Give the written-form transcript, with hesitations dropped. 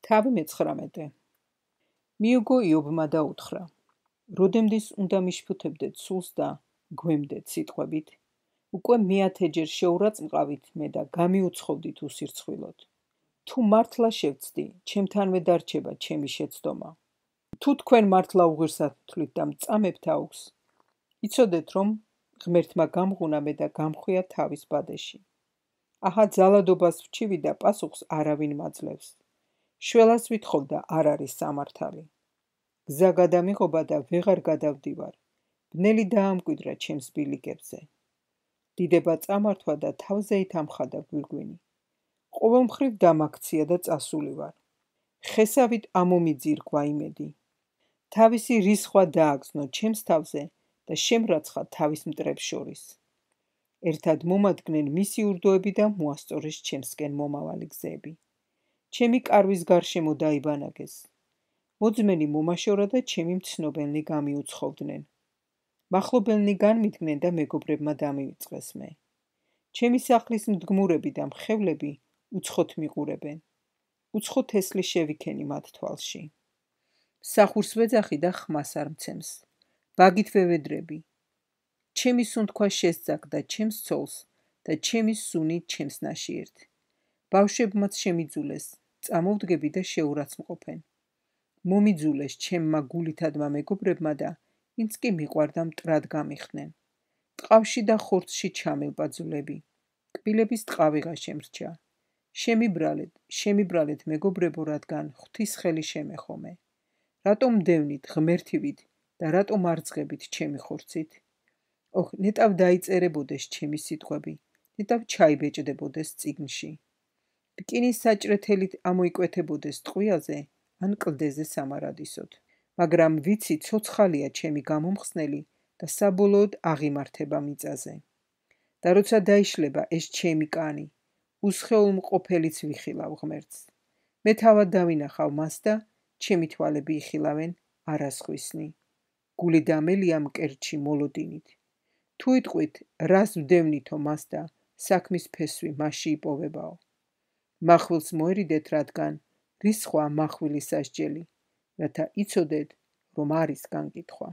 თავი მე-19. მიუგო იობმა და უთხრა: როდემდის უნდა მიშფუთებდეთ სულს და გვემდეთ სიტყვებით? უკვე მეათეჯერ შეურაწმყავით მე და გამიუცხოვდით უსირცხვილოდ. თუ მართლა შევცდი, ჩემთანვე დარჩება ჩემი შეცდომა. თუ თქვენ მართლა უღირსად თვლით და მწამებთ აუგს, იცოდეთ, რომ ღმერთმა გამღუნა მე და გამხვია თავის ბადეში. აჰა, ძალადობას ვჩივი და პასუხს არავინ მაძლევს. შველას ვითხოვ და არ არის სამართალი. გზა გადამიღობა და ვეღარ გადავდივარ. ბნელი დაამკვიდრა ჩემს ბილიკებზე. დიდება წამართვა და თავზე ითამხადა გვირგვინი. ყოველ მხრივ დამაქცია და წასული ვარ. ხესავით ამომიძირგვა იმედი. თავისი რისხვა დააგზნო ჩემს თავზე და შემრაცხა თავის მტრებს შორის. ერთად მომადგნენ მისი ურდოები და მოასწორეს ჩემსკენ მომავალი გზები. ჩემი კარვის გარშემო დაიბანაგეს. მოძმენი მომაშორა და ჩემი მცნობელნი გამიუცხოვდნენ. მახლობელნი განმიდგნენ და მეგობრებმა დამივიწყეს მე. ჩემი სახლის მდგმურები და მხევლები უცხოთ მიყურებენ. უცხო თესლი შევიქენი მათ თვალში. სახურს ვეძახი და ხმას არ მცემს. ბაგით ვევედრები. ჩემი სუნთქვა შესძაგდა ჩემს ცოლს და ჩემი სუნი ჩემს ნაშიერთ. ბავშვებმაც შემიძულეს, წამოვდგები და შეურაცმყოფენ. მომიძულეს ჩემმა გულითადმა მეგობრებმა და ვინც კი მიყვარდა მტრად გამიხდნენ. ტყავში და ხორცში ჩამელპა ძვლები. კბილების ტყავიღა შემრჩა. შემიბრალეთ მეგობრებო, რადგან ღვთის ხელი შემეხომე. რატომ მდევნით ღმერთივით და რატომ არ ძღებით ჩემი ხორცით? ოხ, ნეტავ დაიწერებოდეს ჩემი სიტყვები, ნეტავ ჩაიბეჭდებოდეს წიგნში. რკინის საჭრეთელით ამოიკვეთებოდეს ტყვიაზე ან კლდეზე სამარადისოდ. მაგრამ ვიცი, ცოცხალია ჩემი გამომხსნელი და საბოლოოდ აღიმართება მიწაზე. და როცა დაიშლება ეს ჩემი კანი, უსხეულ მყოფელიც ვიხილავ ღმერთს. მე თავად დავინახავ მას და ჩემი თვალები იხილავენ არასხვისნი. გული დამელია მკერდში მოლოდინით. თუ იტყვით, რას ვდევნითო მას და საქმის ფესვი მასში იპოვებაო. მახვილს მოერიდეთ, რადგან რისხვა მახვილის სასჯელი, რათა იცოდეთ, რომ არის განკითხვა.